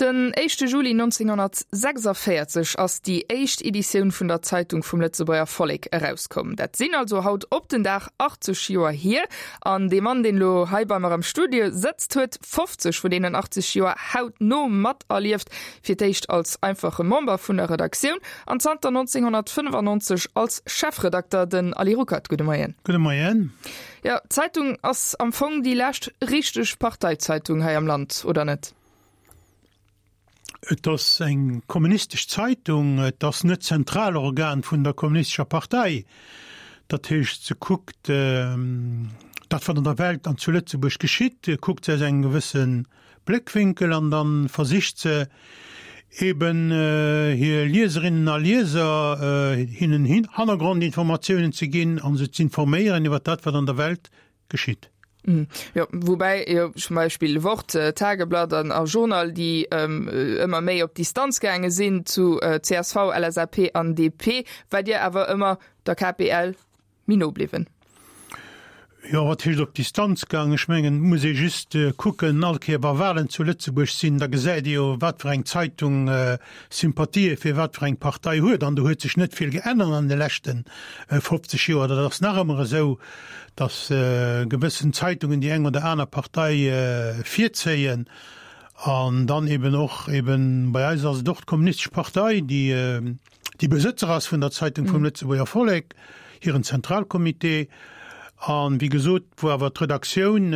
Den éischte Juli 1946 ass déi éischt Editioun vun der Zeitung vum Lëtzebuerger Vollek erauskomm. Dat sinn also haut op den Dag 80 Joer hier. An dee Mann, deen elo hei bei mer am Studio sëtzt, huet 50 vun deenen 80 Joer hautno materlieft. Fir d'éischt als einfache Member vun der Redaktioun an zanter 1995 als Chefredakter, den Ali Ruckert. Gudde Moien. Gudde Moien. Jo, d'Zeitung ass am Fong déi lescht richteg Parteizeitung hei am Land, oder net? Et ass eng kommunistesch Zeitung, et ass net d'Zentralorgan vun der kommunistescher Partei. Dat heescht, se kuckt dat, wat an der Welt an zu Lëtzebuerg geschitt, kuckt se aus engem gewësse Bléckwinkel an da versicht se eben hir Lieserinnen a Lieser, hinnen Hannergrondinformatiounen ze ginn a se z'informéieren iwwer dat, wat an der Welt geschitt. Jo, woubäi jo zum Beispill Wort, Tageblatt an a Journal, déi ëmmer méi op Distanz gaange sinn zu csv, LSAP an DP, war Dir awer ëmmer der KPL méi no bliwwen. Jo, wat heescht op Distanz gaangen? Ech mengen, et muss ee just kucken, all Kéier wa Wahlen zu Lëtzebuerg sinn, da gesäit ee jo, wat fir eng Zeitung Sympathië fir wat fir eng Partei huet. An do huet sech net vill geännert an de leschte 50 Joer. Dat ass nach ëmmer esou, datt gewëssen Zeitungen déi eng oder aner Partei virzéien. An dann eben och eben, bei eis ass et och d'Kommunistesch Partei, déi, déi Besëtzer ass vun der Zeitung vum Lëtzebuerger Vollek, hiren Zentralcomité, an wéi gesot, wou awer d'Redaktioun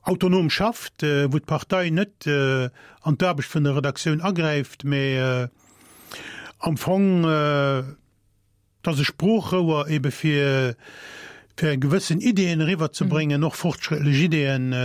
autonom schafft, wou d'Partei net an d'Aarbecht vun der Redaktioun agräift, mä am Fong, Et ass e Sproochrouer ebe fir fir gewëssen Ideeën eriwwer ze bréngen, och fortschrëttlech Ideeën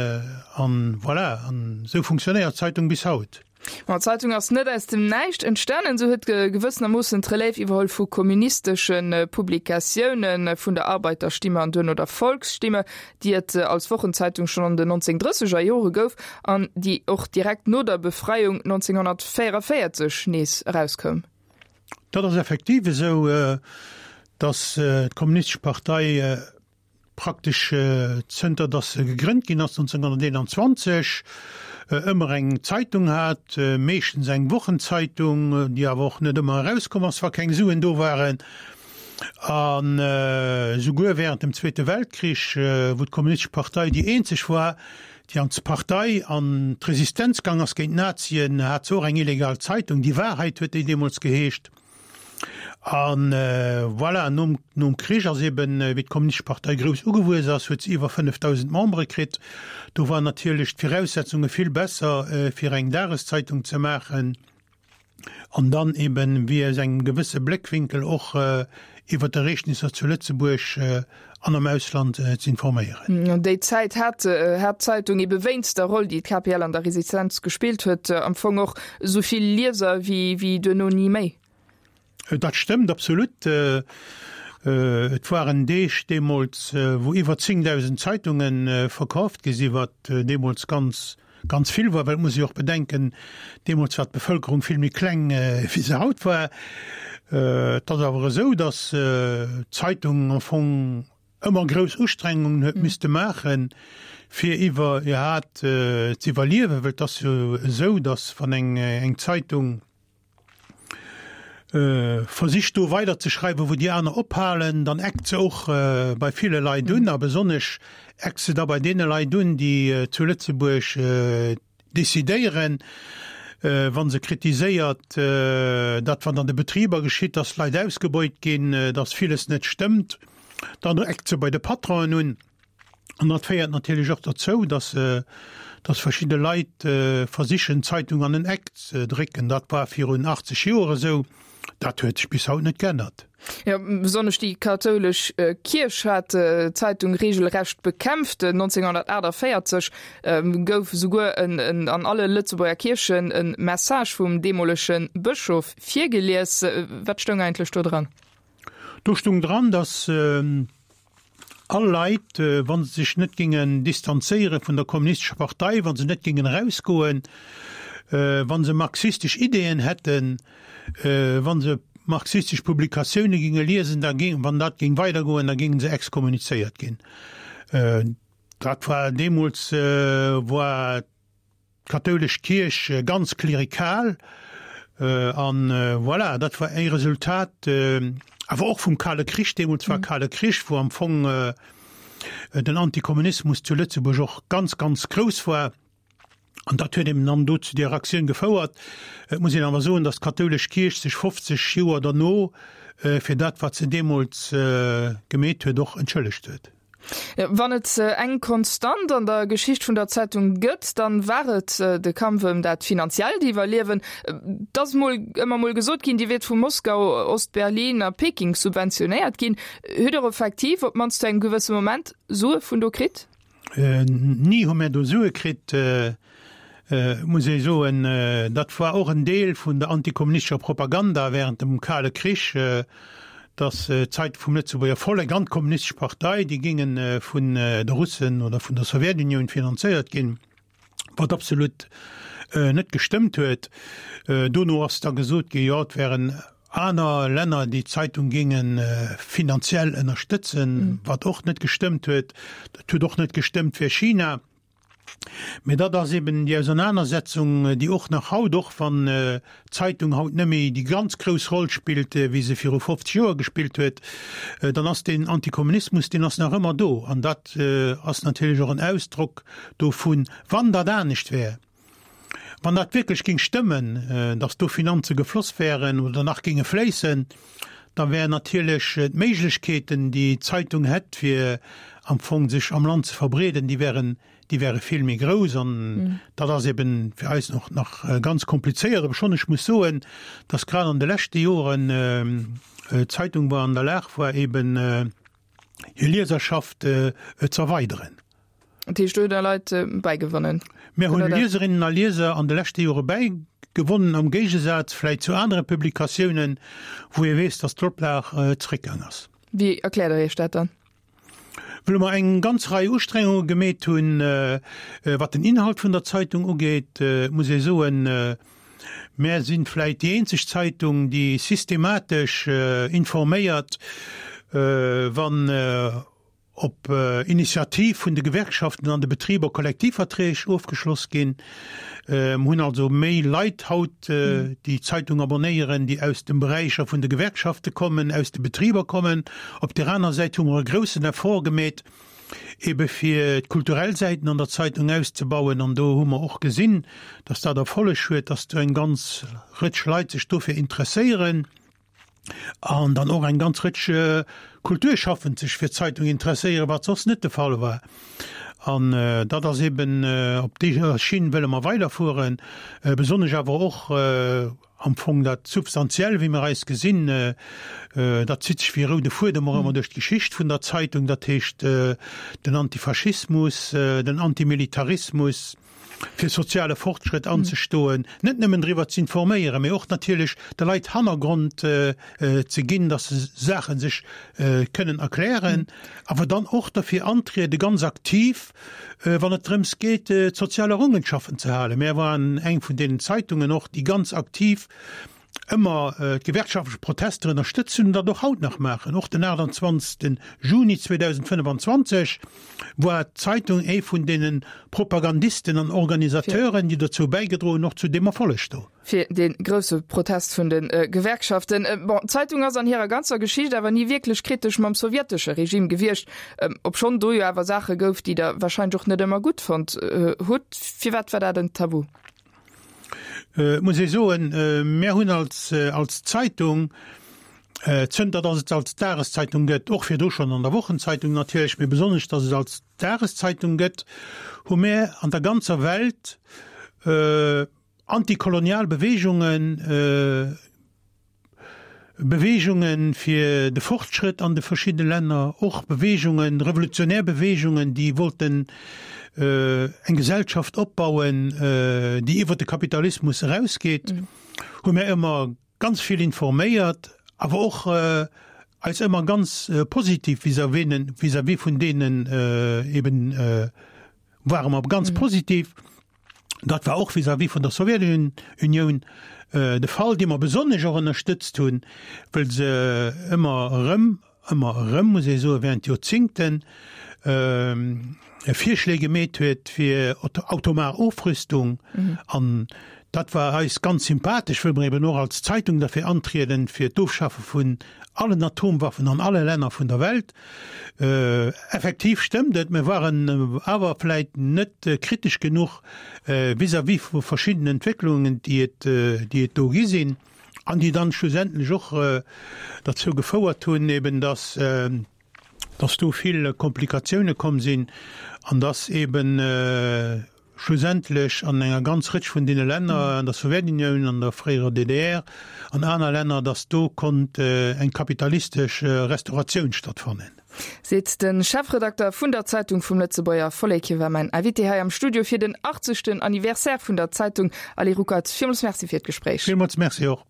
an voilà, an esou funktionéiert d'Zeitung bis haut. Ma d'Zeitung ass net aus dem Näischt entstanen, se huet gewëssenermoossen d'Relève iwwerholl vu kommunistesche Publikatiounen, vun der Arbeiterstimme an duerno der Volksstimme, déi et als Wochenzeitung schonn an den 1930er Jore gouf an déi och direkt no der Befreiung 1944 nees erauskoum. Dat ass effektiv esou, datt d'Kommunistesch Partei praktesch zënter datt se gegrënnt ginn ass 1921 ëmmer eng Zeitung hat, meeschtens eng Wochenzeitung, déi awer och net ëmmer erauskomm ass, wa keng Suen do waren. An esouguer während dem Zweete Weltkrich, wou d'Kommunistesch Partei déi eenzeg war, déi an d'Partei an d'Resistenz gang ass géint d'Nazien, hat se och eng illegal Zeitung, Die Wahrheit huet déi deemools geheescht. A voilà, nom, nom Krich ass eben, wéi d'Kommunistesch Partei grouss ugewuess ass, huet se iwwer 5.000 Membere kritt. Do waren natierlech d'Viraussetzunge vill besser, fir eng Dageszeitung ze maachen. An dann eben, wéi aus engem gewësse Bléckwinkel och iwwer d'Ereegnisser zu Lëtzebuerg an am Ausland ze informéieren. Déi Zäit hat hat d'Zeitung ebe wéinst der Roll, déi d'KPL an der Resistenz gespillt huet, am Fong och esou vill Lieser wéi wéi duerno ni méi. Dat stëmmt absolut. Et waren Deeg deemools, wou iwwer 10.000 Zeitunge verkaaft gi sinn, wat deemools ganz, ganz vill war. Well et muss ee jo och bedenken, deemools war d'Bevëlkerung vill méi kleng, wéi se haut war. Et ass awer esou, datt d'Zeitung am Fong ëmmer grouss Ustrengungen huet misste maachen, fir iwwerhaat z'iwwerliewen. Well et ass jo esou, datt wann eng Zeitung, Versicht do weider ze schreiwen, wou déi aner ophalen, dann eckt se och bei ville Leit un, a besonnesch eckt se da bei deene Leit un, déi zu Lëtzebuerg decidéieren, wa se kritiséiert, dat wat an de Betriber geschitt, dass Leit ausgebeut ginn, dass villes net stëmmt, dann eckt se bei de Patronen un. An dat féiert natierlech och derzou, dass, dass verschidde Leit versichen, d'Zeitung an en Eck ze drécken. Dat war virun 80 Joer esou, dat huet sech bis haut net geännert. Jo, besonnesch déi kathoulesch Kierch hat d'Zeitung reegelrecht bekämpft. 1948 gouf esouguer en an alle Lëtzebuerger Kierchen e Message vum deemolege Bëschof virgelies. Wat stoung eigentlech do dran? Do stoung dran, dass All Leit, wa se sech net géingen distanzéiere vun der Kommunistescher Partei, wa se net géingen erausgoen, wa se marxistesch Ideeën hätten, wa se marxistesch Publikatioune géinge liesen, da géing, wann dat géing weidergoen, da géinge se exkommunizéiert ginn. Dat war deemools war. d'kathoulesch Kierch ganz klerikal. An voilà, dat war e Resultat awer och vum Kale Krich, deemools war Kale Krich, wou am Fong den Antikommunismus zu Lëtzebuerg och ganz, ganz grouss war. An dat huet eben dann do zu där Aktioun gefouert. Et muss een awer soen, datt d'kathoulesch Kierch sech 50 Joer derno fir dat, wat se deemools gemeet huet, och entschëllegt huet. Wann et eng Konstant an der Geschicht vun der Zeitung gëtt, dann war et de Kampf ëm dat finanziellt Iwwerliewen. Et ass mol ëmmer mol gesot ginn, Dir wiert vu Moskau, Ost-Berlin a Peking subventionéiert ginn. Hutt Der effektiv, op d'mannst zu engem gewësse Moment, Sue vun do kritt? Ni hu mär do Sue kritt, muss ee soen. Dat war och en Deel vun der antikommunistescher Propaganda während dem Kale Krich, datt d'Zeitung vum Lëtzebuerger Vollek an d'Kommunistesch Partei, déi géinge vun de Russen oder vun der Sowjetunioun finanzéiert ginn, wat absolut net gestëmmt huet. Dono ass da gesot ginn, jo, et wären aner Länner, déi d'Zeitung géinge finanziell ënnerstëtzen, wat och net gestëmmt huet. Dat huet och net gestëmmt fir China. Mee dat ass eben déi Ausernanersetzung, déi och nach haut, och wann d'Zeitung haut net méi déi ganz grouss Roll spillt, wéi se viru 50 Joer gespillt huet, dann ass deen Antikommunismus, deen ass nach ëmmer do. An dat ass natierlech och en Ausdrock dovun, wann dat anescht wär, wann dat wierklech géing stëmmen, datt do Finanze gefloss wären oder nach géinge fléissen, da wären natierlech d'Méiglechkeeten, déi d'Zeitung hätt, fir am Fong sech am Land ze verbreeden, déi wären, déi wäre vill méi grouss. An dat ass eben fir eis och nach ganz komplizéiert. Obschonn ech muss soen, datt grad an de leschte Joren d'Zeitung war an der Lag war, eben hir Lieserschaft z'erweideren. Dat heescht, do hutt Der Leit bäigewonnen? Mir hunn Lieserinnen a Lieser an de leschte Jore bäigewonnen, am Géigesaz vläicht zu anere Publikatiounen, wou ee weess, datt d'Oplag zeréckgaang ass. Wéi erkläert Der Iech dat dann? Well mer eng ganz Rei Ustrengunge gemeet hunn, wat den Inhalt vun der Zeitung ugeet, muss ee soen, Mär sinn vläit déi eenzeg Zeitung, déi systematesch informéiert, wann op Initiativ vun de Gewerkschaften an de Betriber Kollektivverträg ofgeschloss ginn. Mer hunn also méi Leit haut, déi d'Zeitung abonnéieren, déi aus de Beräicher vun de Gewerkschafte kommen, aus de Betriber kommen. Op där aner Säit hu mer e groussen Effort gemeet, ebe fir d'kulturell Säiten an der Zeitung auszebauen. An do hu mer och gesinn, dass dat Erfolleg huet, dass do eng ganz Rëtsch Leit sech dofir interesséieren an dann och eng ganz Rëtsch Kulturschaffend sech fir d'Zeitung interesséieren, wat soss net de Fall war. An dat ass eben, op deeër Schinn wëlle mer weiderfueren, besonnesch awer och am Fong dat Substantiell, wéi mer eis gesinn, dat zitt sech wéi e roude Fuedem och ëmmer duerch d'Geschicht vun der Zeitung, dat heescht den Antifaschismus, den Antimilitarismus, fir soziale Fortschrëtt anzestoen, net nëmmen driwwer ze informéieren, mee och natierlech de Leit Hannergrond ze ginn, datt se Saache sech kënnen erklären, awer dann och derfir antriede ganz aktiv, Wann et drëms geet, d'sozial Errungenschaften ze halen. Mär waren eng vun deenen Zeitungen och, déi ganz aktiv ëmmer d'gewerkschaftlech Protester ënnerstëtzt hunn an dat och haut nach maachen. Och den 28. Juni 2025 war d'Zeitung ee vun deene Propagandisten an Organisateuren, déi dozou bäigedroen hunn, och zu deem Erfolleg do. Fir dee grousse Protest vun de Gewerkschaften. Bon, d'Zeitung ass an hirer ganzer Geschicht awer ni wierklech kritesch mam sowjetesche Regime gewiescht, obschonn do jo awer Saache gouf, déi Der warscheinlech och net ëmmer gutt fonnt hutt. Firwat war dat en Tabu? Et muss ee soen, mär hunn als als Zeitung, zënter datt et als Dageszeitung gëtt, och virdru schonn an der Wochenzeitung natierlech, mee besonnesch datt et als Dageszeitung gëtt, hu mär an der ganzer Welt Antikolonial Beweegungen, Beweegungen fir de Fortschrëtt an de verschiddene Länner, och Beweegungen, revolutionär Beweegungen, déi wollten eng Gesellschaft opbauen, déi iwwer de Kapitalismus erausgeet, hu mär ëmmer ganz vill informéiert, awer och eis ëmmer ganz positiv vis-à-vis vun deenen eben ware mer ganz positiv. Dat war och vis-à-vis vun der Sowjetunioun de Fall, déi mer besonnesch och ënnerstëtzt hunn, wëll se ëmmer erëm, ëmmer erëm, muss ee soen, während Joerzingten. Virschléi gemeet huet fir automar Ofrüstung. An dat war eis ganz sympathesch, wëll mer eben och als Zeitung derfir antrieden, fir d'Ofschaffe vun allen Atomwaffen an alle Länner vun der Welt. Effektiv stëmmt et, mir waren awer vläit net kritesch genuch vis-à-vis vu verschiddenen Entwécklungen, déi et, déi et do gi sinn an déi dann schlussendlech och derzou gefouert hunn eben, dass, dass do vill Komplikatioune komm sinn an dass eben schlussendlech an enger ganz Rëtsch vun deene Länner, an der Sowjetunioun, an der fréierer DDR, an aner Länner, dass do konnt eng kapitalistesch Restauratioun stattfannen. Seet de Chefredakter vun der Zeitung vum Lëtzebuerger Vollek. Hie war mäin Invité hei am Studio fir den 80. Anniversaire vun der Zeitung. Ali Ruckert, villmools Merci fir d'Gespréich. Villmools Merci och.